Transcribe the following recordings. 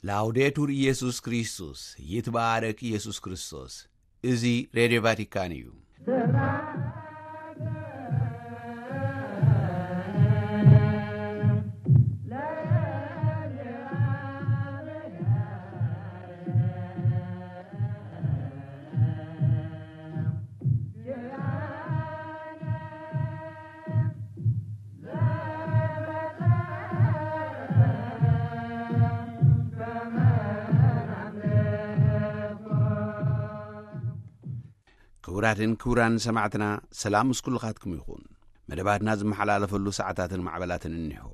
ላውዴቱር ኢየሱስ ክርስቶስ፣ ይትባረክ ኢየሱስ ክርስቶስ። እዚ ሬድዮ ቫቲካን እዩ። ክቡራትን ክቡራን ሰማዕትና፣ ሰላም ምስ ኩልኻትኩም ይኹን። መደባትና ዝመሓላለፈሉ ሰዓታትን ማዕበላትን እኒሆ።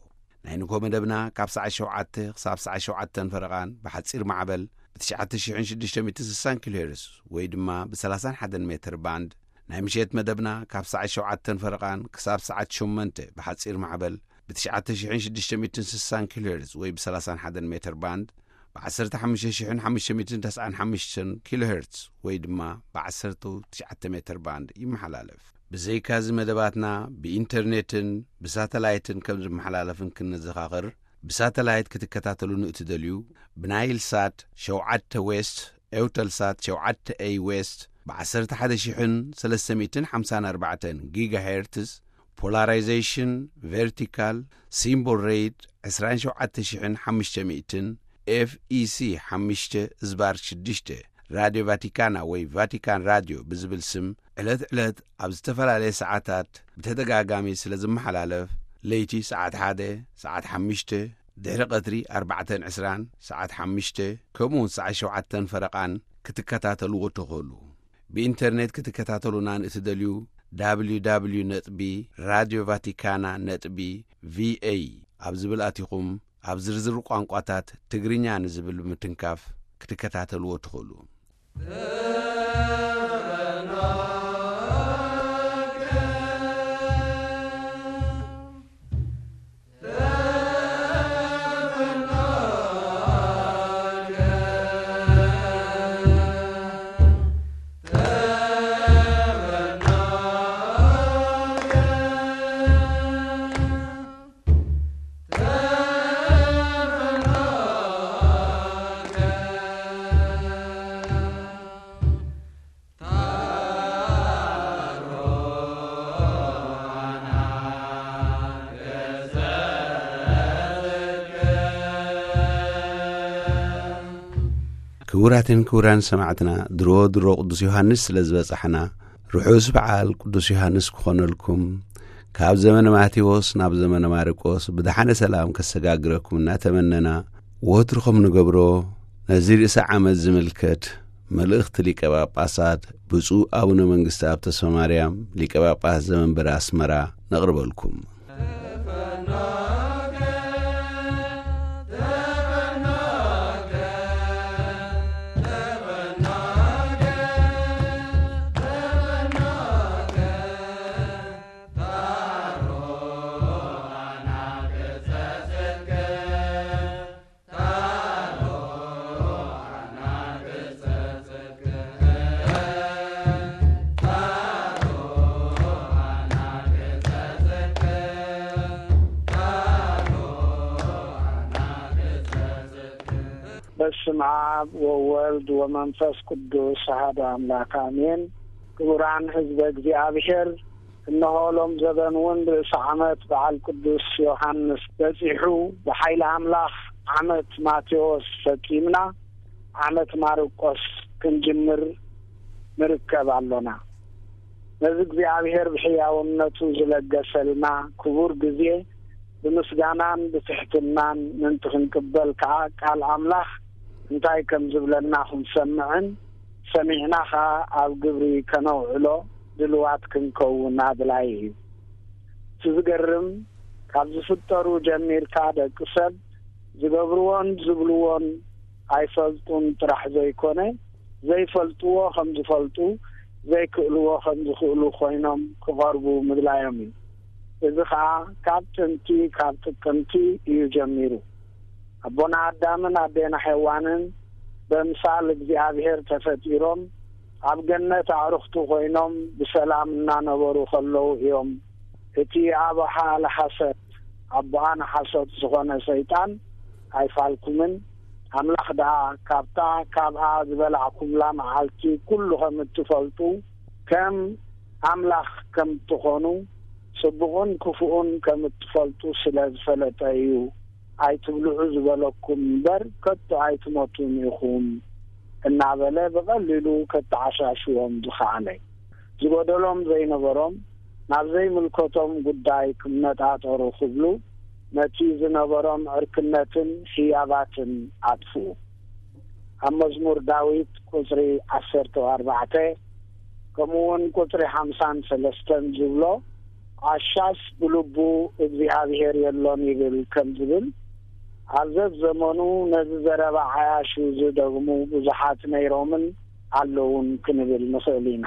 ናይ ንግሆ መደብና ካብ ሰዓት ሸውዓተ ክሳብ ሰዓት ሸውዓተን ፈረቓን ብሓጺር ማዕበል ብ ትሽዓተ ሽሕን ሽዱሽተ ሚእትን ስሳን ኪሎ ሄርዝ ወይ ድማ ብ ሰላሳን ሓደን ሜትር ባንድ፣ ናይ ምሸት መደብና ካብ ሰዓት ሸውዓተን ፈረቓን ክሳብ ሰዓት ሸሞንተ ብሓጺር ማዕበል ብ ትሽዓተ ሽሕን ሽዱሽተ ሚእትን ስሳን ኪሎ ሄርዝ ወይ ብ ሰላሳን ሓደን ሜትር ባንድ፣ ብ ዓሰርተ ሓሙሽተ ሽሕን ሓሙሽተ ሚእትን ተስዓን ሓሙሽተን ኪሎ ሄርዝ ወይ ድማ ብ ዓሰርተ ትሽዓተ ሜትር ባንድ ይመሓላለፍ። ብዘይካዚ መደባትና ብኢንተርኔትን ብሳተላይትን ከም ዝመሓላለፍን ክንዘኻኽር፣ ብሳተላይት ክትከታተሉ ንእትደልዩ፣ ብናይል ሳት ሸውዓተ ዌስት፣ ኤውተልሳት ሸውዓተ ኤይ ዌስት፣ ብ ዓሰርተ ሓደ ሽሕን ሰለስተ ሚእትን ሓምሳን ኣርባዕተን ጊጋሄርትዝ፣ ፖላራይዜሽን ቨርቲካል፣ ሲምቦል ሬት ዕስራን ሸውዓተ ሽሕን ሓሙሽተ ሚእትን፣ ኤፍ ኢ ሲ ሓሙሽተ ዝባር ሽዱሽተ፣ ራድዮ ቫቲካና ወይ ቫቲካን ራድዮ ብዝብል ስም ዕለት ዕለት ኣብ ዝተፈላለየ ሰዓታት ብተደጋጋሚ ስለ ዝመሓላለፍ፣ ለይቲ ሰዓት ሓደ፣ ሰዓት ሓሙሽተ፣ ድሕሪ ቀትሪ ኣርባዕተን ዕስራን፣ ሰዓት ሓሙሽተ፣ ከምኡ እውን ሰዓት ሸውዓተን ፈረቓን ክትከታተልዎ ትኽእሉ። ብኢንተርኔት ክትከታተሉና ንእትደልዩ፣ www ነጥቢ ራድዮ ቫቲካና ነጥቢ ቪኤ ኣብ ዝብል ኣቲኹም፣ ኣብ ዝርዝር ቋንቋታት ትግርኛ ንዝብል ብምትንካፍ ክትከታተልዎ ትኽእሉ። ክቡራትን ክቡራን ሰማዕትና፣ ድሮ ድሮ ቅዱስ ዮሃንስ ስለ ዝበጻሕና፣ ርሑስ በዓል ቅዱስ ዮሃንስ ክኾነልኩም፣ ካብ ዘመነ ማቴዎስ ናብ ዘመነ ማርቆስ ብደሓነ ሰላም ከሰጋግረኩም እናተመነና፣ ወትሩ ከም ንገብሮ፣ ነዚ ርእሰ ዓመት ዝምልከት መልእኽቲ ሊቀ ጳጳሳት ብፁዕ ኣቡነ መንግስተኣብ ተስፋማርያም፣ ሊቀ ጳጳስ ዘመንበረ ኣስመራ፣ ነቕርበልኩም። በስመ አብ ወወልድ ወመንፈስ ቅዱስ አሐዱ አምላክ አሜን። ክቡራን ህዝበ እግዚኣብሔር፣ እነሆ ሎም ዘበን እውን ርእሰ ዓመት በዓል ቅዱስ ዮሃንስ በጺሑ፣ ብሓይሊ ኣምላኽ ዓመት ማቴዎስ ፈጺምና፣ ዓመት ማርቆስ ክንጅምር ንርከብ ኣሎና። ነዚ እግዚኣብሔር ብሕያውነቱ ዝለገሰልና ክቡር ግዜ ብምስጋናን ብትሕትናን ምእንቲ ክንቅበል ከኣ፣ ቃል ኣምላኽ እንታይ ከም ዝብለና ክንሰምዕን ሰሚዕና ከኣ ኣብ ግብሪ ከነውዕሎ ድልዋት ክንከውን ኣድላዪ እዩ። እቲ ዝገርም፣ ካብ ዝፍጠሩ ጀሚርካ ደቂ ሰብ ዝገብርዎን ዝብልዎን ኣይፈልጡን ጥራሕ ዘይኮነ፣ ዘይፈልጥዎ ከም ዝፈልጡ፣ ዘይክእልዎ ከም ዝኽእሉ ኮይኖም ክቐርቡ ምድላዮም እዩ። እዚ ኸኣ ካብ ጥንቲ፣ ካብ ጥቅምቲ እዩ ጀሚሩ። ኣቦና ኣዳምን ኣዴና ሔዋንን በምሳል እግዚኣብሔር ተፈጢሮም ኣብ ገነት ኣዕሩኽቱ ኮይኖም ብሰላም እናነበሩ ከለዉ እዮም። እቲ ኣቦ ሓለ ሓሶት፣ ኣቦኣን ሓሶት ዝኾነ ሰይጣን ኣይፋልኩምን፣ ኣምላኽ ደኣ ካብታ ካብኣ ዝበላዕኩምላ መዓልቲ ኩሉ ከም እትፈልጡ፣ ከም ኣምላኽ ከም እትኾኑ፣ ጽቡቕን ክፉእን ከም እትፈልጡ ስለ ዝፈለጠ እዩ። ኣይትብልዑ ዝበለኩም እምበር፣ ከቶ ኣይትሞቱን ኢኹም እናበለ ብቐሊሉ ከተዓሻሽዎም ዝኸኣለ። ዝጎደሎም ዘይነበሮም፣ ናብ ዘይምልከቶም ጉዳይ ክመጣጠሩ ክብሉ፣ ነቲ ዝነበሮም ዕርክነትን ህያባትን ኣጥፍኡ። ኣብ መዝሙር ዳዊት ቁጽሪ ዓሰርተ ኣርባዕተ፣ ከምኡ እውን ቁጽሪ ሓምሳን ሰለስተን ዝብሎ፣ ዓሻስ ብልቡ እግዚኣብሔር የሎን ይብል ከም ዝብል፣ ኣብ ዘዘመኑ ነዚ ዘረባ ዓያሹ ዝደግሙ ብዙሓት ነይሮምን ኣለውን ክንብል ንኽእል ኢና።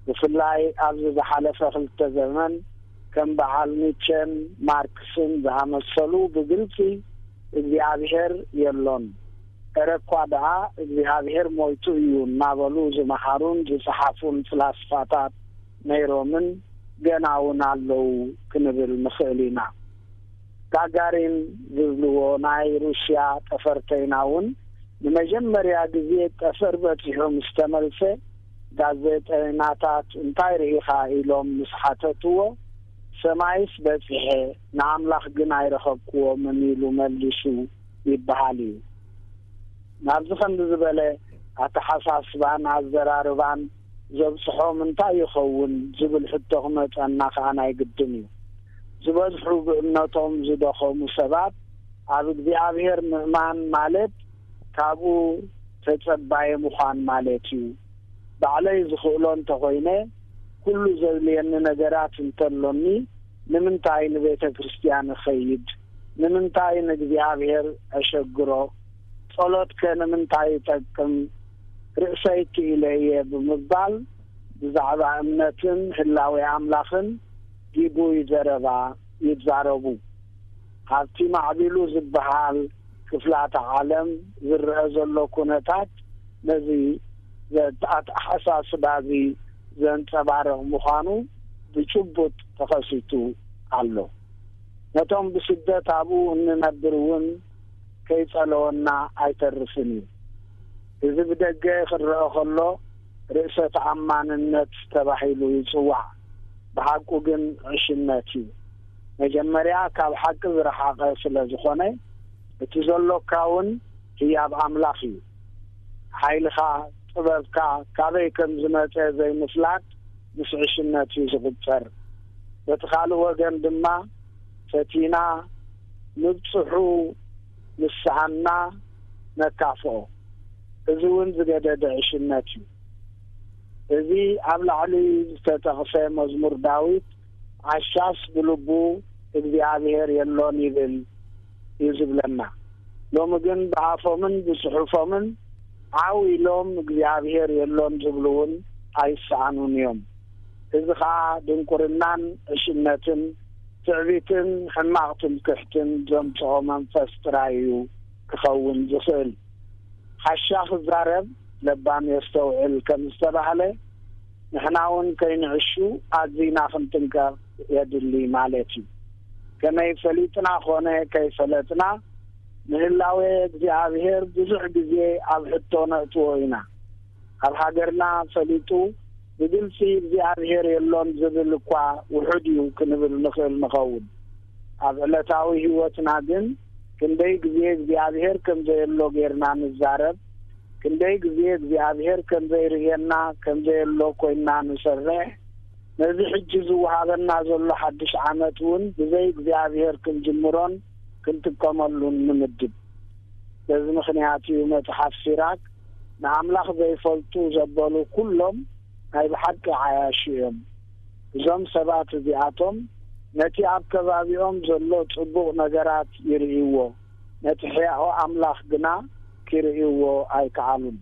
ብፍላይ ኣብዚ ዝሓለፈ ክልተ ዘመን ከም በዓል ኒቸን ማርክስን ዝኣመሰሉ ብግልጺ እግዚኣብሔር የሎን፣ እረ እኳ ደኣ እግዚኣብሔር ሞይቱ እዩ እናበሉ ዝመሃሩን ዝጸሓፉን ፍላስፋታት ነይሮምን ገና እውን ኣለዉ ክንብል ንኽእል ኢና። ጋጋሪን ዝብልዎ ናይ ሩስያ ጠፈርተይና እውን ንመጀመርያ ግዜ ጠፈር በጺሑ ምስ ተመልሰ፣ ጋዜጠይናታት እንታይ ርኢኻ ኢሎም ምስ ሓተትዎ፣ ሰማይስ በጺሐ፣ ንኣምላኽ ግን ኣይረኸብክዎምን ኢሉ መሊሱ ይበሃል እዩ። ናብዚ ከምዚ ዝበለ ኣተሓሳስባን ኣዘራርባን ዘብጽሖም እንታይ ይኸውን ዝብል ሕቶ ክመጸና ከኣ ናይ ግድን እዩ። ዝበዝሑ ብእምነቶም ዝደኸሙ ሰባት ኣብ እግዚኣብሔር ምእማን ማለት ካብኡ ተጸባየ ምዃን ማለት እዩ። ባዕለይ ዝኽእሎ እንተኾይነ፣ ኩሉ ዘድልየኒ ነገራት እንተሎኒ፣ ንምንታይ ንቤተ ክርስቲያን እኸይድ? ንምንታይ ንእግዚኣብሔር እሸግሮ? ጸሎትከ ንምንታይ ይጠቅም? ርእሰይ ክኢለ እየ ብምባል ብዛዕባ እምነትን ህላዌ ኣምላኽን ግጉይ ዘረባ ይዛረቡ። ኣብቲ ማዕቢሉ ዝበሃል ክፍላተ ዓለም ዝረአ ዘሎ ኩነታት ነዚ ኣተሓሳስባ እዚ ዘንጸባርቕ ምዃኑ ብጭቡጥ ተኸሲቱ ኣሎ። ነቶም ብስደት ኣብኡ እንነብር እውን ከይጸለወና ኣይተርፍን እዩ። እዚ ብደገ ክረአ ከሎ ርእሰ ተኣማንነት ተባሂሉ ይጽዋዕ። ብሓቁ ግን ዕሽነት እዩ። መጀመርያ ካብ ሓቂ ዝረሓቐ ስለ ዝኾነ፣ እቲ ዘሎካ እውን ህያብ ኣምላኽ እዩ። ሓይልኻ፣ ጥበብካ ካበይ ከም ዝመጸ ዘይምፍላጥ ምስ ዕሽነት እዩ ዝቑጸር። በቲ ካልእ ወገን ድማ፣ ፈቲና ምብጽሑ ምስ ሰኣንና ነካፍኦ። እዚ እውን ዝገደደ ዕሽነት እዩ። እዚ ኣብ ላዕሊ ዝተጠቕሰ መዝሙር ዳዊት፣ ዓሻስ ብልቡ እግዚኣብሔር የሎን ይብል እዩ ዝብለና። ሎሚ ግን ብኣፎምን ብጽሑፎምን ዓው ኢሎም እግዚኣብሔር የሎን ዝብሉ እውን ኣይሰኣኑን እዮም። እዚ ኸኣ ድንቁርናን ዕሽነትን ትዕቢትን ሕማቕ ትምክሕትን ዘምጽኦ መንፈስ ጥራይ እዩ ክኸውን ዝኽእል። ዓሻ ክዛረብ ለባም የስተውዕል ከም ዝተባህለ፣ ንሕና እውን ከይንዕሹ ኣዚና ክንጥንቀቕ የድሊ ማለት እዩ። ከመይ ፈሊጥና ኾነ ከይፈለጥና፣ ንህላዌ እግዚኣብሔር ብዙሕ ግዜ ኣብ ሕቶ ነእትዎ ኢና። ኣብ ሃገርና ፈሊጡ ብግልጺ እግዚኣብሔር የሎን ዝብል እኳ ውሑድ እዩ ክንብል ንኽእል ንኸውን። ኣብ ዕለታዊ ህይወትና ግን ክንደይ ግዜ እግዚኣብሔር ከም ዘየሎ ጌርና ንዛረብ፣ ክንደይ ግዜ እግዚኣብሔር ከም ዘይርእየና፣ ከም ዘየሎ ኮይንና ንሰርሕ፣ ነዚ ሕጂ ዝወሃበና ዘሎ ሓድሽ ዓመት እውን ብዘይ እግዚኣብሔር ክንጅምሮን ክንጥቀመሉን ንምድብ። በዚ ምኽንያት እዩ መጽሓፍ ሲራክ፣ ንኣምላኽ ዘይፈልጡ ዘበሉ ኩሎም ናይ ብሓቂ ዓያሹ እዮም። እዞም ሰባት እዚኣቶም ነቲ ኣብ ከባቢኦም ዘሎ ጽቡቕ ነገራት ይርእይዎ፣ ነቲ ሕያኦ ኣምላኽ ግና ኪርእይዎ ኣይከኣሉን።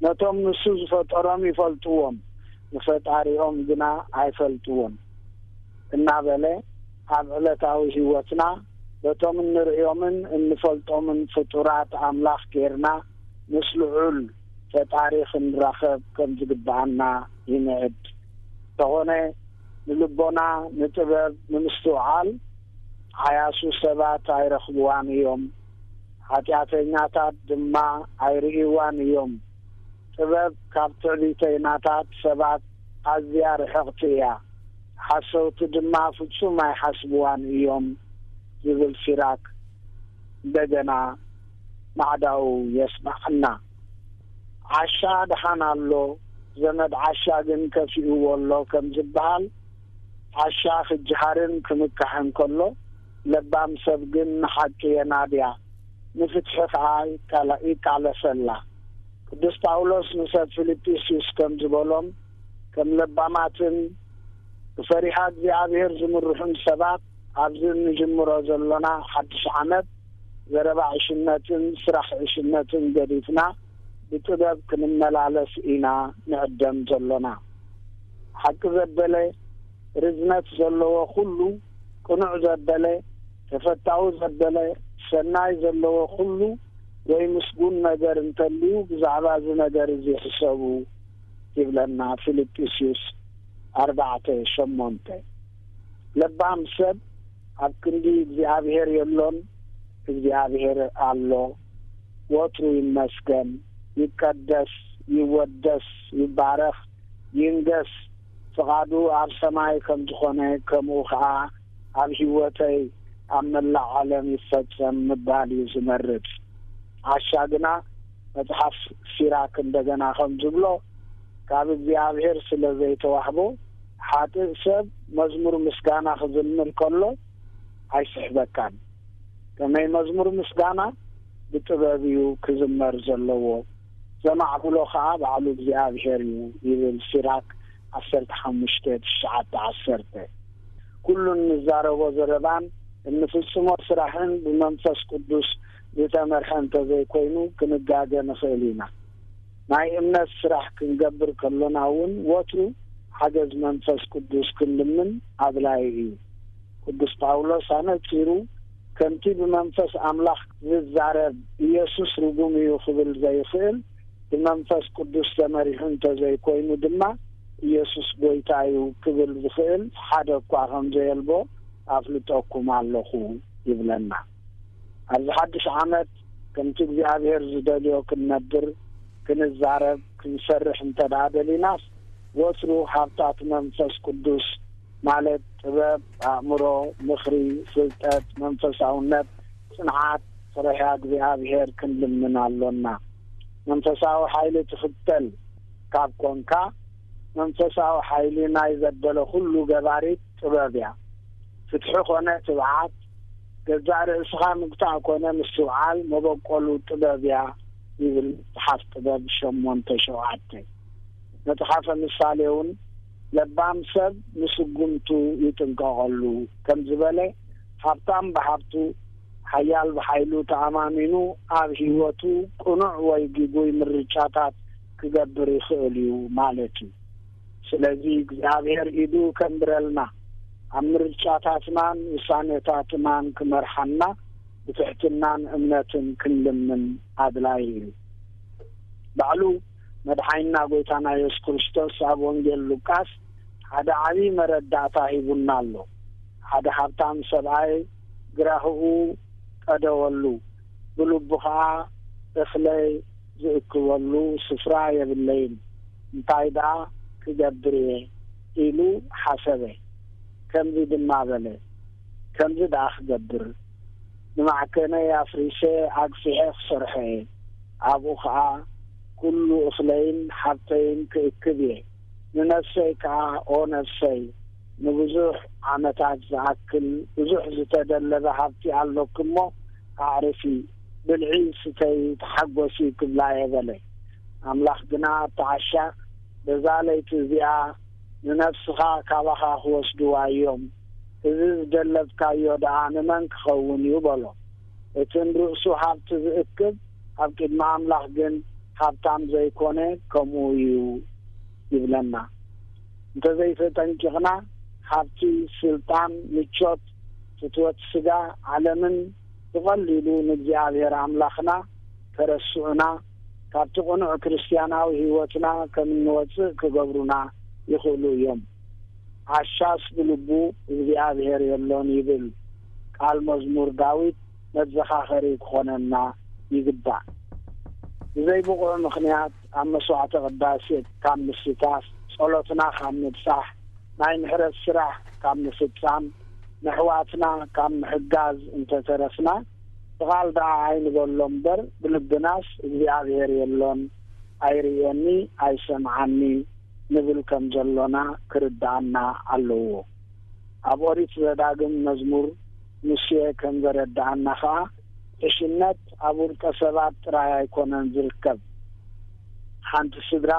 ነቶም ንሱ ዝፈጠሮም ይፈልጥዎም፣ ንፈጣሪኦም ግና ኣይፈልጥዎን እናበለ፣ ኣብ ዕለታዊ ህይወትና በቶም እንርእዮምን እንፈልጦምን ፍጡራት ኣምላኽ ጌርና ምስ ልዑል ፈጣሪ ክንራኸብ ከም ዝግብኣና ይንዕድ። እንተኾነ፣ ንልቦና፣ ንጥበብ፣ ንምስትውዓል ዓያሱ ሰባት ኣይረኽብዋን እዮም። ኃጢኣተኛታት ድማ ኣይርእይዋን እዮም። ጥበብ ካብ ትዕቢተይናታት ሰባት ኣዝያ ርሕቕቲ እያ፣ ሓሰውቲ ድማ ፍጹም ኣይሓስብዋን እዮም ዝብል ሲራክ እንደገና ማዕዳኡ የስምዓና። ዓሻ ደሓን ኣሎ፣ ዘመድ ዓሻ ግን ከፊእዎ ኣሎ ከም ዝበሃል፣ ዓሻ ክጀሃርን ክምካሕን ከሎ፣ ለባም ሰብ ግን ንሓቂ የናድያ፣ ንፍትሒ ኸኣ ይቃለ-፣ ይቃለሰላ። ቅዱስ ጳውሎስ ንሰብ ፊልጵስዩስ ከም ዝበሎም፣ ከም ለባማትን ብፈሪሃ እግዚኣብሔር ዝምርሑን ሰባት፣ ኣብዚ እንጅምሮ ዘሎና ሓድሽ ዓመት፣ ዘረባ ዕሽነትን ስራሕ ዕሽነትን ገዲፍና፣ ብጥበብ ክንመላለስ ኢና ንዕደም ዘሎና። ሓቂ ዘበለ፣ ርዝነት ዘለዎ ኩሉ፣ ቅኑዕ ዘበለ፣ ተፈታዊ ዘበለ፣ ሰናይ ዘለዎ ኩሉ ወይ ምስጉን ነገር እንተልዩ፣ ብዛዕባ እዚ ነገር እዚ ሕሰቡ ይብለና ፊልጵስዩስ ኣርባዕተ ሸሞንተ። ለባም ሰብ ኣብ ክንዲ እግዚኣብሔር የሎን፣ እግዚኣብሔር ኣሎ። ወትሩ ይመስገን፣ ይቀደስ፣ ይወደስ፣ ይባረኽ፣ ይንገስ፣ ፍቓዱ ኣብ ሰማይ ከም ዝኾነ፣ ከምኡ ኸኣ ኣብ ህይወተይ ኣብ መላእ ዓለም ይፈጸም ምባል እዩ ዝመርጽ። ዓሻ ግና፣ መጽሓፍ ሲራክ እንደገና ከም ዝብሎ፣ ካብ እግዚኣብሔር ስለ ዘይተዋህቦ፣ ሓጥእ ሰብ መዝሙር ምስጋና ክዝምር ከሎ ኣይስሕበካን። ከመይ መዝሙር ምስጋና ብጥበብ እዩ ክዝመር ዘለዎ፣ ዘማዕብሎ ኸኣ ባዕሉ እግዚኣብሔር እዩ ይብል ሲራክ ዓሰርተ ሓሙሽተ፣ ትሽዓተ፣ ዓሰርተ። ኩሉ እንዛረቦ ዘረባን እንፍጽሞ ስራሕን ብመንፈስ ቅዱስ ዝተመርሐ እንተዘይኮይኑ ክንጋገ ንኽእል ኢና። ናይ እምነት ስራሕ ክንገብር ከሎና እውን ወትሩ ሓገዝ መንፈስ ቅዱስ ክንልምን ኣድላዪ እዩ። ቅዱስ ጳውሎስ ኣነጺሩ፣ ከምቲ ብመንፈስ ኣምላኽ ዝዛረብ ኢየሱስ ርጉም እዩ ክብል ዘይኽእል፣ ብመንፈስ ቅዱስ ተመሪሑ እንተዘይኮይኑ ድማ ኢየሱስ ጐይታ እዩ ክብል ዝኽእል ሓደ እኳ ከም ዘየልቦ ኣፍልጠኩም ኣለኹ ይብለና። ኣብዚ ሓድሽ ዓመት ከምቲ እግዚኣብሔር ዝደልዮ ክንነብር፣ ክንዛረብ፣ ክንሰርሕ እንተ ደኣ ደሊናስ፣ ወትሩ ሃብታት መንፈስ ቅዱስ ማለት ጥበብ፣ ኣእምሮ፣ ምኽሪ፣ ፍልጠት፣ መንፈሳውነት፣ ጽንዓት፣ ፈሪሃ እግዚኣብሔር ክንልምን ኣሎና። መንፈሳዊ ሓይሊ ትኽተል ካብ ኮንካ፣ መንፈሳዊ ሓይሊ ናይ ዘበለ ኩሉ ገባሪት ጥበብ እያ። ፍትሒ ኮነ ትብዓት፣ ገዛእ ርእስኻ ምግታእ ኮነ ምስትውዓል መበቆሉ ጥበብ እያ ይብል መጽሓፍ ጥበብ ሸሞንተ ሸውዓተ። መጽሓፈ ምሳሌ እውን፣ ለባም ሰብ ንስጉምቱ ይጥንቀቐሉ ከም ዝበለ፣ ሃብታም ብሃብቱ፣ ሓያል ብሓይሉ ተኣማሚኑ ኣብ ህይወቱ ቅኑዕ ወይ ግጉይ ምርጫታት ክገብር ይኽእል እዩ ማለት እዩ። ስለዚ እግዚኣብሔር ኢዱ ከንብረልና፣ ኣብ ምርጫታትናን ውሳኔታትናን ክመርሓና ብትሕትናን እምነትን ክንልምን ኣድላዪ እዩ። ባዕሉ መድሓኒና ጐይታና የሱስ ክርስቶስ ኣብ ወንጌል ሉቃስ ሓደ ዓብዪ መረዳእታ ሂቡና ኣሎ። ሓደ ሃብታም ሰብኣይ ግራህኡ ቀደወሉ፣ ብልቡ ኸኣ፣ "እኽለይ ዝእክበሉ ስፍራ የብለይን፣ እንታይ ደኣ ክገብር እየ?" ኢሉ ሓሰበ። ከምዚ ድማ በለ፣ "ከምዚ ደኣ ክገብር፣ ንማዕከነይ ኣፍሪሰ ኣግፊሐ ክሰርሖ እየ። ኣብኡ ኸኣ ኩሉ እኽለይን ሃብተይን ክእክብ እየ። ንነፍሰይ ከኣ፣ ኦ ነፍሰይ፣ ንብዙሕ ዓመታት ዝኣክል ብዙሕ ዝተደለበ ሃብቲ ኣሎኪ እሞ፣ ኣዕርፊ፣ ብልዒ፣ ስተዪ፣ ተሓጎሲ ክብላ እየ" በለ። ኣምላኽ ግና፣ "ኣታ ዓሻ፣ በዛ ለይቲ እዚኣ ንነፍስኻ ካባኻ ክወስድዋ እዮም። እዚ ዝደለብካዮ ደኣ ንመን ክኸውን እዩ?" በሎ። እቲ ንርእሱ ሃብቲ ዝእክብ፣ ኣብ ቅድሚ ኣምላኽ ግን ሃብታም ዘይኮነ ከምኡ እዩ ይብለና። እንተዘይተጠንቂቕና፣ ሃብቲ፣ ስልጣን፣ ምቾት፣ ፍትወት ስጋ፣ ዓለምን ብቐሊሉ ንእግዚኣብሔር ኣምላኽና ከረስዑና፣ ካብቲ ቅኑዕ ክርስትያናዊ ህይወትና ከም እንወጽእ ክገብሩና ይኽእሉ እዮም። "ዓሻስ ብልቡ እግዚኣብሔር የሎን" ይብል ቃል መዝሙር ዳዊት መዘኻኸሪ ክኾነና ይግባእ። ብዘይ ብቑዕ ምኽንያት ኣብ መስዋዕተ ቅዳሴ ካብ ምስታፍ፣ ጸሎትና ካብ ምብጻሕ፣ ናይ ምሕረት ስራሕ ካብ ምፍጻም፣ ነሕዋትና ካብ ምሕጋዝ እንተተረፍና፣ ብቓል ደኣ ኣይንበሎ እምበር፣ ብልብናስ እግዚኣብሔር የሎን፣ ኣይርእየኒ፣ ኣይሰምዓኒ ንብል ከም ዘሎና ክርድኣና ኣለዎ። ኣብ ኦሪት ዘዳግም መዝሙር ሙሴ ከም ዘረድኣና ኸኣ፣ ዕሽነት ኣብ ውልቀ ሰባት ጥራይ ኣይኮነን ዝርከብ። ሓንቲ ስድራ፣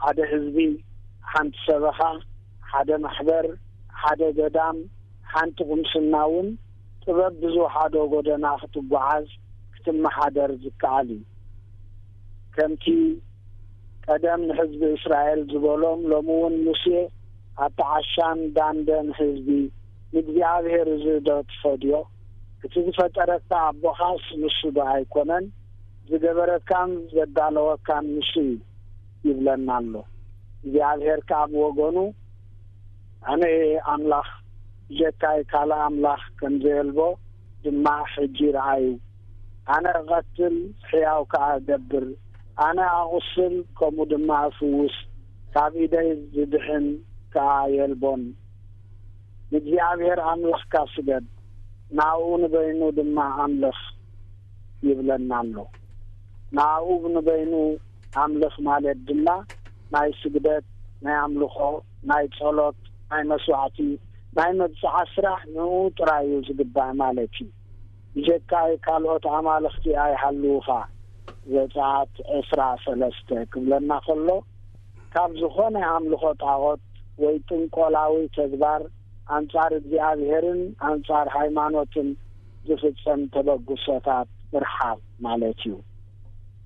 ሓደ ህዝቢ፣ ሓንቲ ሰበኻ፣ ሓደ ማሕበር፣ ሓደ ገዳም፣ ሓንቲ ቁምስና እውን ጥበብ ብዝወሓዶ ጎደና ክትጓዓዝ፣ ክትመሓደር ዝከኣል እዩ። ከምቲ ቀደም ንህዝቢ እስራኤል ዝበሎም፣ ሎሚ እውን ሙሴ ኣቲ ዓሻን ዳንደን ህዝቢ፣ ንእግዚኣብሔር እዚ ዶ ትፈድዮ? እቲ ዝፈጠረካ ኣቦኻስ ንሱ ዶ ኣይኮነን? ዝገበረካን ዘዳለወካን ንሱ እዩ ይብለና ኣሎ። እግዚኣብሔር ከኣ ብወገኑ፣ ኣነ እየ ኣምላኽ፣ ብጀካይ ካልእ ኣምላኽ ከም ዘየልቦ ድማ ሕጂ ረኣዩ። ኣነ እቐትል፣ ሕያው ከኣ እገብር፣ ኣነ ኣቑስል፣ ከምኡ ድማ እፍውስ፣ ካብ ኢደይ ዝድሕን ከኣ የልቦን። ንእግዚኣብሔር ኣምላኽካ ስገድ፣ ናብኡ ንበይኑ ድማ ኣምልኽ ይብለና ኣሎ። ናብኡ ንበይኑ ኣምልኽ ማለት ድማ ናይ ስግደት፣ ናይ ኣምልኾ፣ ናይ ጸሎት፣ ናይ መስዋዕቲ፣ ናይ መብጽዓ ስራሕ ንኡ ጥራይ እዩ ዝግባእ ማለት እዩ። ብጀካይ ካልኦት ኣማልኽቲ ኣይሃልዉኻ። ዘጸኣት ዕስራ ሰለስተ ክብለና ከሎ፣ ካብ ዝኾነ ኣምልኾ ጣዖት ወይ ጥንቆላዊ ተግባር ኣንጻር እግዚኣብሔርን ኣንጻር ሃይማኖትን ዝፍጸም ተበግሶታት ምርሓቕ ማለት እዩ።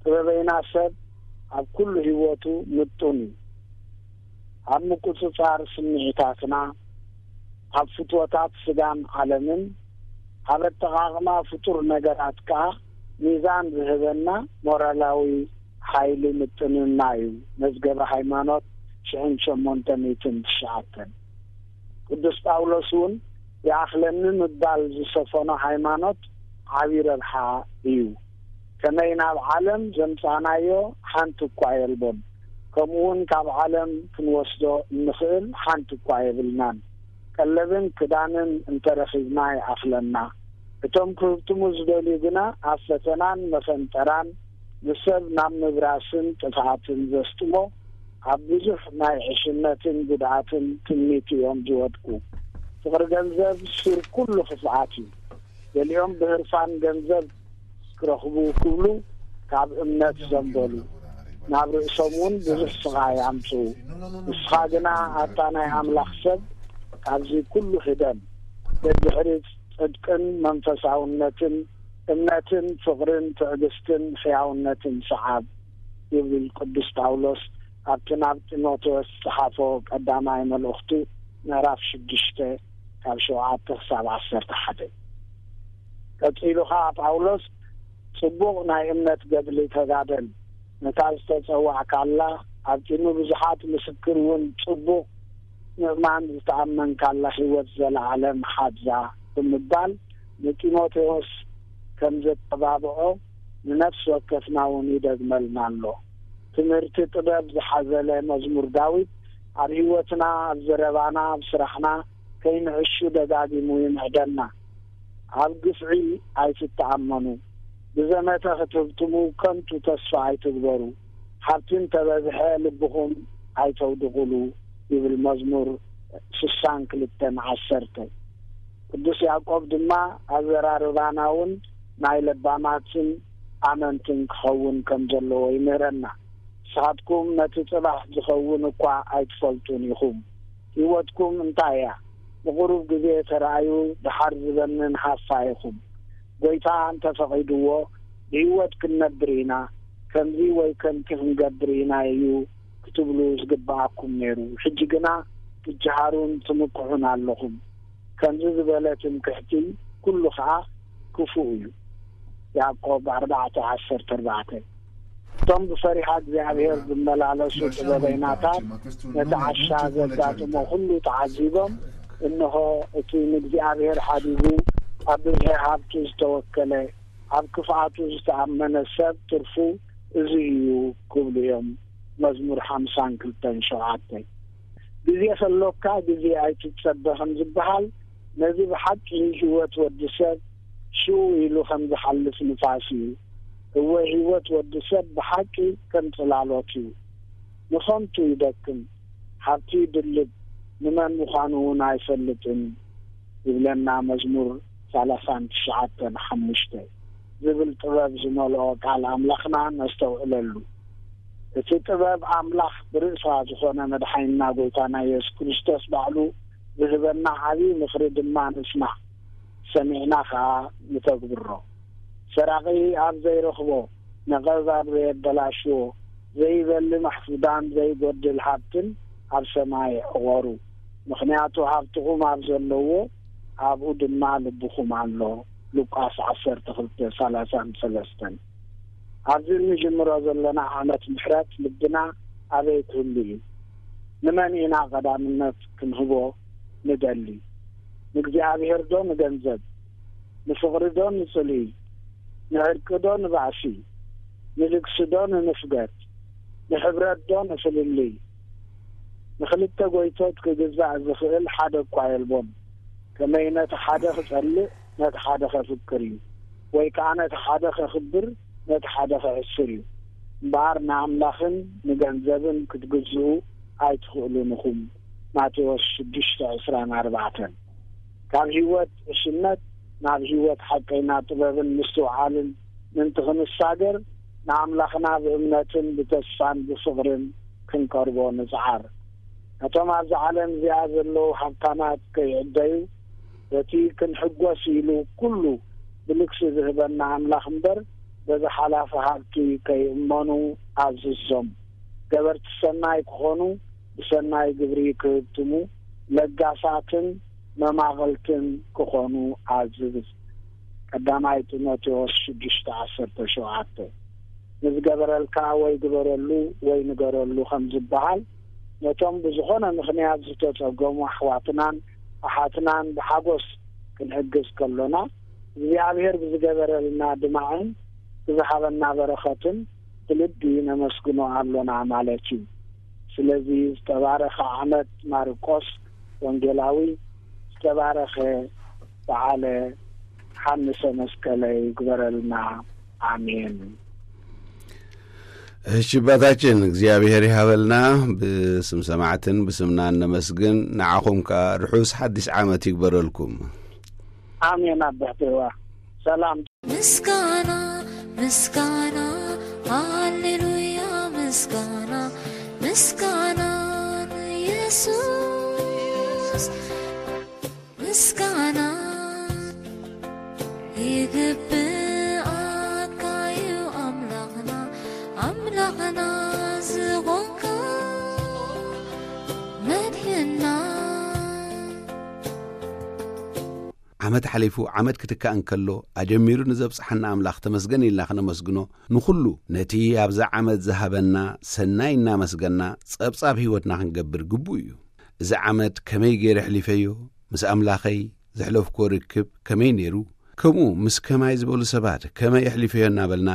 ጥበበይና ሰብ ኣብ ኩሉ ህይወቱ ምጡን እዩ። ኣብ ምቁጽጻር ስምዒታትና፣ ኣብ ፍትወታት ስጋን ዓለምን፣ ኣብ ኣጠቓቕማ ፍጡር ነገራት ከኣ ሚዛን ዝህበና ሞራላዊ ሓይሊ ምጥንና እዩ። መዝገበ ሃይማኖት ሽሕን ሸሞንተ ሚእትን ትሽዓተን። ቅዱስ ጳውሎስ እውን ይኣኽለኒ ምባል ዝሰፈኖ ሃይማኖት ዓቢ ረብሓ እዩ። ከመይ ናብ ዓለም ዘምጻእናዮ ሓንቲ እኳ የልቦን፣ ከምኡውን ካብ ዓለም ክንወስዶ እንኽእል ሓንቲ እኳ የብልናን። ቀለብን ክዳንን እንተረኺብና ይኣኽለና። እቶም ክህብትሙ ዝደልዩ ግና ኣብ ፈተናን መፈንጠራን ንሰብ ናብ ምብራስን ጥፍኣትን ዘስጥሞ ኣብ ብዙሕ ናይ ዕሽነትን ጉድኣትን ትምኒት እዮም ዝወድቁ። ፍቕሪ ገንዘብ ሱር ኩሉ ክፍኣት እዩ። ገሊኦም ብህርፋን ገንዘብ ክረኽቡ ክብሉ ካብ እምነት ዘንበሉ፣ ናብ ርእሶም እውን ብዙሕ ስቓይ ኣምጽኡ። ንስኻ ግና ኣታ ናይ ኣምላኽ ሰብ፣ ካብዚ ኩሉ ህደም። ደድሕሪ ጽድቅን መንፈሳውነትን፣ እምነትን ፍቕርን ትዕግስትን ሕያውነትን ሰዓብ ይብል ቅዱስ ጳውሎስ ኣብቲ ናብ ጢሞቴዎስ ዝጸሓፎ ቀዳማይ መልእኽቱ ምዕራፍ ሽዱሽተ ካብ ሸውዓተ ክሳብ ዓሰርተ ሓደ። ቀጺሉ ኸኣ ጳውሎስ ጽቡቕ ናይ እምነት ገድሊ ተጋደል፣ ነታ ዝተጸዋዕካላ ኣብቲ ንብዙሓት ምስክር እውን ጽቡቕ ምእማን ዝተኣመንካላ ህይወት ዘለዓለም ሓዛ ብምባል ንጢሞቴዎስ ከም ዘተባብዖ ንነፍሲ ወከፍና እውን ይደግመልና ኣሎ። ትምህርቲ ጥበብ ዝሓዘለ መዝሙር ዳዊት ኣብ ህይወትና፣ ኣብ ዘረባና፣ ኣብ ስራሕና ከይንዕሹ ደጋጊሙ ይምዕደና። ኣብ ግፍዒ ኣይትተኣመኑ፣ ብዘመተ ክትህብትሙ ከንቱ ተስፋ ኣይትግበሩ፣ ሃብቲ እንተበዝሐ ልብኹም ኣይተውድቑሉ ይብል መዝሙር ስሳን ክልተን ዓሰርተ። ቅዱስ ያዕቆብ ድማ ኣዘራርባና እውን ናይ ለባማትን ኣመንትን ክኸውን ከም ዘለዎ ይምህረና። ንስኻትኩም ነቲ ጽባሕ ዝኸውን እኳ ኣይትፈልጡን ኢኹም። ህይወትኩም እንታይ እያ? ንቕሩብ ግዜ ተራእዩ፣ ደሓር ዝበንን ሃፋ ኢኹም። ጐይታ እንተ ፈቒድዎ፣ ብህይወት ክንነብር ኢና፣ ከምዚ ወይ ከምቲ ክንገብር ኢና እዩ ክትብሉ ዝግብኣኩም ነይሩ። ሕጂ ግና ትጀሃሩን ትምክሑን ኣለኹም። ከምዚ ዝበለ ትምክሕቲ ኩሉ ኸኣ ክፉእ እዩ። ያዕቆብ ኣርባዕተ ዓሰርተ ኣርባዕተ። እቶም ብፈሪሃ እግዚኣብሔር ዝመላለሱ ጥበበይናታት ነቲ ዓሻ ዘጋጥሞ ኩሉ ተዓዚቦም፣ እንሆ እቲ ንእግዚኣብሔር ሓዲጉ ኣብ ብዝሒ ሃብቱ ዝተወከለ፣ ኣብ ክፍኣቱ ዝተኣመነ ሰብ ትርፉ እዚ እዩ ክብሉ እዮም። መዝሙር ሓምሳን ክልተን ሸውዓተ። ግዜ ከሎካ ግዜ ኣይትጸበ ከም ዝበሃል፣ ነዚ ብሓቂ ህይወት ወዲ ሰብ ሽው ኢሉ ከም ዝሓልፍ ንፋስ እዩ። እወ፣ ህይወት ወዲ ሰብ ብሓቂ ከም ጽላሎት እዩ። ንኸንቱ ይደክም፣ ሃብቲ ይድልብ፣ ንመን ምዃኑ እውን ኣይፈልጥን፣ ይብለና መዝሙር ሰላሳን ትሽዓተን ሓሙሽተ ዝብል ጥበብ ዝመልኦ ቃል ኣምላኽና ነስተውዕለሉ። እቲ ጥበብ ኣምላኽ ብርእሳ ዝኾነ መድሓኒና ጎይታና የሱስ ክርስቶስ ባዕሉ ዝህበና ዓብዪ ምኽሪ ድማ ንስማዕ፣ ሰሚዕና ኸኣ ንተግብሮ። ሰራቒ ኣብ ዘይረኽቦ፣ ነቐዝ ኣብ ዘየበላሽዎ፣ ዘይበሊ ማሕፉዳን ዘይጎድል ሃብትን ኣብ ሰማይ ዕቖሩ። ምኽንያቱ ሃብትኹም ኣብ ዘለዎ፣ ኣብኡ ድማ ልብኹም ኣሎ። ሉቃስ ዓሰርተ ክልተ ሰላሳን ሰለስተን። ኣብዚ እንጅምሮ ዘለና ዓመት ምሕረት ልብና ኣበይ ክህሉ እዩ? ንመን ኢና ቀዳምነት ክንህቦ ንደሊ? ንእግዚኣብሔር ዶ ንገንዘብ? ንፍቕሪ ዶ ንጽልኢ? ንዕርቂ ዶ ንባእሲ? ንልግሲ ዶ ንንፍገት? ንሕብረት ዶ ንፍልልይ? ንኽልተ ጎይቶት ክግዛእ ዝኽእል ሓደ እኳ የልቦን። ከመይ ነቲ ሓደ ክጸልእ ነቲ ሓደ ከፍቅር እዩ፣ ወይ ከኣ ነቲ ሓደ ከኽብር ነቲ ሓደ ከሕስር እዩ። እምበኣር ንኣምላኽን ንገንዘብን ክትግዝኡ ኣይትኽእሉን ኢኹም። ማቴዎስ ሽዱሽተ ዕስራን ኣርባዕተን። ካብ ህይወት ዕሽነት ናብ ህይወት ሓቀይና ጥበብን ምስትውዓልን ምእንቲ ክንሳገር፣ ንኣምላኽና ብእምነትን ብተስፋን ብፍቕርን ክንቀርቦ ንጽዓር። ነቶም ኣብዛ ዓለም እዚኣ ዘለዉ ሃብታማት ከይዕደዩ፣ በቲ ክንሕጎስ ኢሉ ኩሉ ብልግሲ ዝህበና ኣምላኽ እምበር፣ በዚ ሓላፊ ሃብቲ ከይእመኑ ኣዝዞም። ገበርቲ ሰናይ ክኾኑ፣ ብሰናይ ግብሪ ክህብትሙ፣ ለጋሳትን መማቕልትን ክኾኑ ኣዝዝ። ቀዳማይ ጢሞቴዎስ ሽዱሽተ ዓሰርተ ሸውዓተ። ንዝገበረልካ ወይ ግበረሉ ወይ ንገረሉ ከም ዝበሃል፣ ነቶም ብዝኾነ ምኽንያት ዝተጸገሙ ኣሕዋትናን ኣሓትናን ብሓጎስ ክንሕግዝ ከሎና፣ እግዚኣብሔር ብዝገበረልና ድማዕን ብዝሃበና በረኸትን ብልቢ ነመስግኖ ኣሎና ማለት እዩ። ስለዚ ዝተባረኸ ዓመት ማርቆስ ወንጌላዊ፣ ዝተባረኸ በዓለ ሓንሰ መስቀለ ይግበረልና። ኣሜን። እሺ ኣባታችን፣ እግዚኣብሔር ይሃበልና። ብስም ሰማዕትን ብስምና እነመስግን። ንዓኹም ከኣ ርሑስ ሓድሽ ዓመት ይግበረልኩም። ኣሜን ኣቦሕተዋ። ሰላም። ምስጋና፣ ምስጋና፣ ሃሌሉያ፣ ምስጋና፣ ምስጋና ንየሱስ። ምስጋና ይግብኣካ እዩ ኣምላኽና፣ ኣምላኽና ዝኾንካ መድሕና። ዓመት ሓሊፉ ዓመት ክትካእ እንከሎ፣ ኣጀሚሩ ንዘብጽሓና ኣምላኽ ተመስገን ኢልና ክነመስግኖ፣ ንኹሉ ነቲ ኣብዛ ዓመት ዝሃበና ሰናይ እናመስገና ጸብጻብ ህይወትና ክንገብር ግቡእ እዩ። እዚ ዓመት ከመይ ገይረ ኣሕሊፈዮ? ምስ ኣምላኸይ ዘሕለፍኩዎ ርክብ ከመይ ነይሩ? ከምኡ ምስ ከማይ ዝበሉ ሰባት ከመይ ኣሕሊፈዮ እናበልና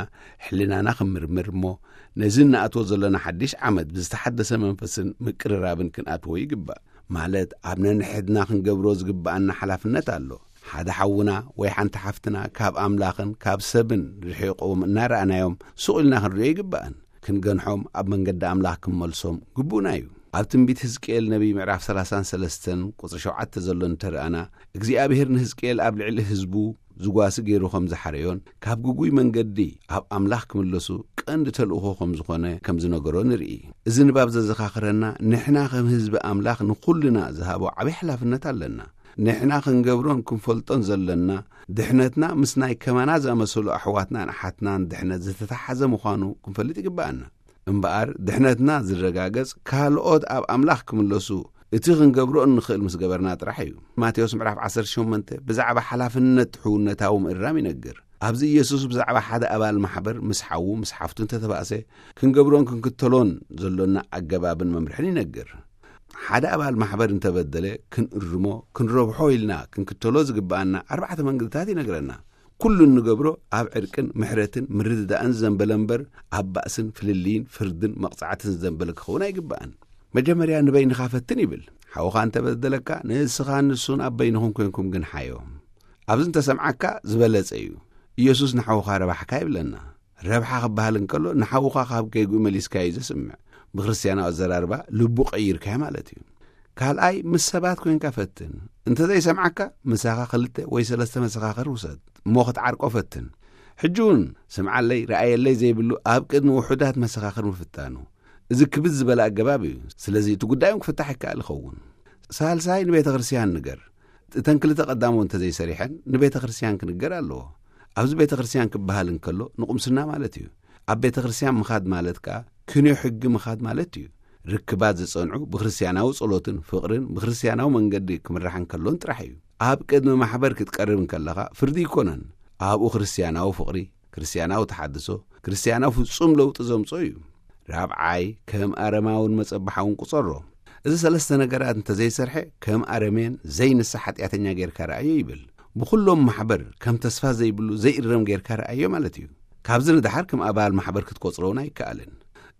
ሕልናና ክንምርምር እሞ፣ ነዚ እንኣትዎ ዘለና ሓድሽ ዓመት ብዝተሓደሰ መንፈስን ምቅርራብን ክንኣትዎ ይግባእ። ማለት ኣብ ነንሕድና ክንገብሮ ዝግብኣና ሓላፍነት ኣሎ። ሓደ ሓውና ወይ ሓንቲ ሓፍትና ካብ ኣምላኽን ካብ ሰብን ርሒቖም እናረኣናዮም ሱቕ ኢልና ክንሪኦ ይግባእን። ክንገንሖም ኣብ መንገዲ ኣምላኽ ክንመልሶም ግቡእና እዩ። ኣብ ትንቢት ሕዝቅኤል ነቢይ ምዕራፍ ሰላሳን ሰለስተን ቁጽሪ ሸውዓተ ዘሎ እንተረኣና፣ እግዚኣብሔር ንሕዝቅኤል ኣብ ልዕሊ ህዝቡ ዝጓሲ ገይሩ ከም ዝሓረዮን ካብ ግጉይ መንገዲ ኣብ ኣምላኽ ክምለሱ ቀንዲ ተልእኾ ከም ዝኾነ ከም ዝነገሮ ንርኢ። እዚ ንባብ ዘዘኻኽረና፣ ንሕና ከም ህዝቢ ኣምላኽ ንኹልና ዝሃቦ ዓብዪ ሓላፍነት ኣለና። ንሕና ክንገብሮን ክንፈልጦን ዘለና፣ ድሕነትና ምስ ናይ ከማና ዝኣመሰሉ ኣሕዋትናን ኣሓትናን ድሕነት ዝተተሓዘ ምዃኑ ክንፈልጥ ይግብኣና። እምበኣር፣ ድሕነትና ዝረጋገጽ፣ ካልኦት ኣብ ኣምላኽ ክምለሱ፣ እቲ ክንገብሮ እንኽእል ምስ ገበርና ጥራሕ እዩ። ማቴዎስ ምዕራፍ ዓሰርተ ሸሞንተ ብዛዕባ ሓላፍነት ሕውነታዊ ምእራም ይነግር። ኣብዚ ኢየሱስ ብዛዕባ ሓደ ኣባል ማሕበር ምስ ሓዉ፣ ምስ ሓፍቱ እንተተባእሰ፣ ክንገብሮን ክንክተሎን ዘሎና ኣገባብን መምርሕን ይነግር። ሓደ ኣባል ማሕበር እንተበደለ ክንእርሞ፣ ክንረብሖ ኢልና ክንክተሎ ዝግብኣና ኣርባዕተ መንገድታት ይነግረና። ኩሉ እንገብሮ ኣብ ዕርቅን ምሕረትን ምርድዳእን ዝዘንበለ እምበር፣ ኣብ ባእስን ፍልልይን ፍርድን መቕጻዕትን ዝዘንበለ ክኸውን ኣይግባእን። መጀመርያ ንበይንኻ ፈትን ይብል። ሓውኻ እንተበደለካ፣ ንስኻን ንሱን ኣብ በይንኹም ኮይንኩም ግን ሓዮም። ኣብዚ እንተሰምዓካ ዝበለጸ እዩ። ኢየሱስ ንሓውኻ ረባሕካ ይብለና። ረብሓ ክበሃል እንከሎ፣ ንሓውኻ ካብ ጌግኡ መሊስካዮ እዩ ዘስምዕ። ብክርስትያናዊ ኣዘራርባ፣ ልቡ ቀይርካዮ ማለት እዩ። ካልኣይ፣ ምስ ሰባት ኮይንካ ፈትን። እንተ ዘይሰምዓካ፣ ምሳኻ ክልተ ወይ ሰለስተ መሰኻኽር ውሰድ፣ እሞ ክትዓርቆ ፈትን። ሕጂ እውን ስምዓለይ፣ ረኣየለይ ዘይብሉ ኣብ ቅድሚ ውሑዳት መሰኻኽር ምፍታኑ፣ እዚ ክብድ ዝበለ ኣገባብ እዩ። ስለዚ እቲ ጉዳዮም ክፍታሕ ይከኣል ይኸውን። ሳልሳይ፣ ንቤተ ክርስቲያን ንገር። እተን ክልተ ቀዳሞ እንተ ዘይሰሪሐን፣ ንቤተ ክርስቲያን ክንገር ኣለዎ። ኣብዚ ቤተ ክርስቲያን ክበሃል እንከሎ፣ ንቁምስና ማለት እዩ። ኣብ ቤተ ክርስቲያን ምኻድ ማለት ከኣ፣ ክንዮ ሕጊ ምኻድ ማለት እዩ። ርክባት ዝጸንዑ ብክርስትያናዊ ጸሎትን ፍቕርን ብክርስትያናዊ መንገዲ ክምራሕ እንከሎን ጥራሕ እዩ። ኣብ ቅድሚ ማሕበር ክትቀርብ እንከለኻ፣ ፍርዲ ይኮነን። ኣብኡ ክርስትያናዊ ፍቕሪ፣ ክርስትያናዊ ተሓድሶ፣ ክርስትያናዊ ፍጹም ለውጢ ዘምጾ እዩ። ራብዓይ፣ ከም ኣረማውን መጸባሓውን ቁጸሮ። እዚ ሰለስተ ነገራት እንተ ዘይሰርሐ፣ ከም ኣረሜን ዘይንስሕ ሓጢኣተኛ ጌርካ ረኣዮ ይብል። ብኹሎም ማሕበር ከም ተስፋ ዘይብሉ ዘይእረም ጌርካ ረኣዮ ማለት እዩ። ካብዚ ንደሓር ከም ኣባል ማሕበር ክትቆጽሮ እውን ኣይከኣልን።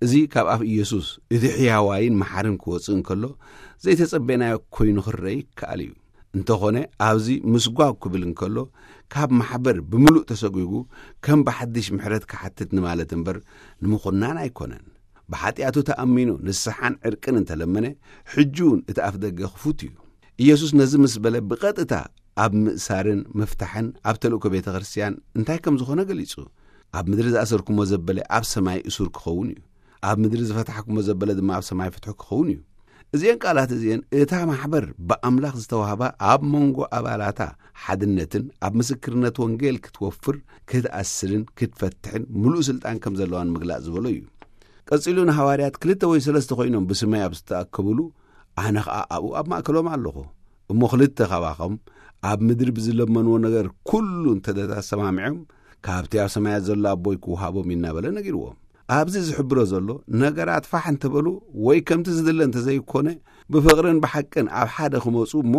እዚ ካብ ኣፍ ኢየሱስ፣ እቲ ሕያዋይን መሓርን ክወጽእ እንከሎ፣ ዘይተጸበናዮ ኮይኑ ክረአ ይከኣል እዩ። እንተኾነ፣ ኣብዚ ምስጓግ ክብል እንከሎ፣ ካብ ማሕበር ብምሉእ ተሰጒጉ ከም ብሓድሽ ምሕረት ክሓትት ንማለት እምበር፣ ንምኹናን ኣይኮነን። ብሓጢኣቱ ተኣሚኑ ንስሓን ዕርቅን እንተለመነ፣ ሕጂ እውን እቲ ኣፍ ደገ ክፉት እዩ። ኢየሱስ ነዚ ምስ በለ፣ ብቐጥታ ኣብ ምእሳርን ምፍታሕን ኣብ ተልእኮ ቤተ ክርስቲያን እንታይ ከም ዝኾነ ገሊጹ። ኣብ ምድሪ ዝኣሰርኩሞ ዘበለ ኣብ ሰማይ እሱር ክኸውን እዩ። ኣብ ምድሪ ዝፈታሕኩሞ ዘበለ ድማ ኣብ ሰማይ ፍትሑ ክኸውን እዩ። እዚአን ቃላት እዚአን እታ ማሕበር ብኣምላኽ ዝተዋህባ ኣብ መንጎ ኣባላታ ሓድነትን ኣብ ምስክርነት ወንጌል ክትወፍር፣ ክትኣስርን ክትፈትሕን ምሉእ ስልጣን ከም ዘለዋን ምግላጽ ዝበሎ እዩ። ቀጺሉ ንሃዋርያት ክልተ ወይ ሰለስተ ኮይኖም ብስመይ ኣብ ዝተኣከቡሉ ኣነ ኸኣ ኣብኡ ኣብ ማእከሎም ኣለኹ። እሞ ክልተ ካባኹም ኣብ ምድሪ ብዝለመንዎ ነገር ኩሉ እንተ ተሰማሚዖም፣ ካብቲ ኣብ ሰማያት ዘሎ ኣቦይ ክወሃቦም እዩ እናበለ ነጊርዎም። ኣብዚ ዝሕብሮ ዘሎ ነገራት ፋሕ እንተበሉ ወይ ከምቲ ዝድለ እንተዘይኮነ፣ ብፍቕርን ብሓቅን ኣብ ሓደ ክመጹ እሞ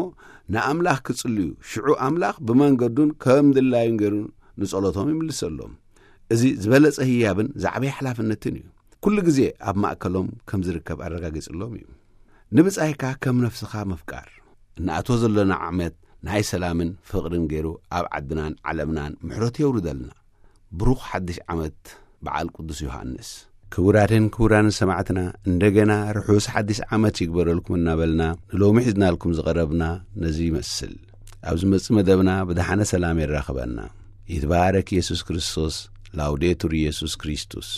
ንኣምላኽ ክጽልዩ፣ ሽዑ ኣምላኽ ብመንገዱን ከም ድላዩን ገይሩ ንጸሎቶም ይምልሰሎም። እዚ ዝበለጸ ህያብን ዝዓበየ ሓላፍነትን እዩ። ኩሉ ግዜ ኣብ ማእከሎም ከም ዝርከብ ኣረጋጊጽሎም እዩ። ንብጻይካ ከም ነፍስኻ ምፍቃር። እንኣትዎ ዘሎና ዓመት ናይ ሰላምን ፍቕርን ገይሩ ኣብ ዓድናን ዓለምናን ምሕረቱ የውርደልና። ብሩኽ ሓድሽ ዓመት በዓል ቅዱስ ዮሃንስ። ክቡራትን ክቡራን ሰማዕትና፣ እንደገና ርሑስ ሓድሽ ዓመት ይግበረልኩም እናበልና፣ ንሎሚ ሒዝናልኩም ዝቐረብና ነዚ ይመስል። ኣብ ዝመጽእ መደብና ብደሓነ ሰላም የራኽበና። ይትባረክ ኢየሱስ ክርስቶስ። ላውዴቱር ኢየሱስ ክርስቶስ።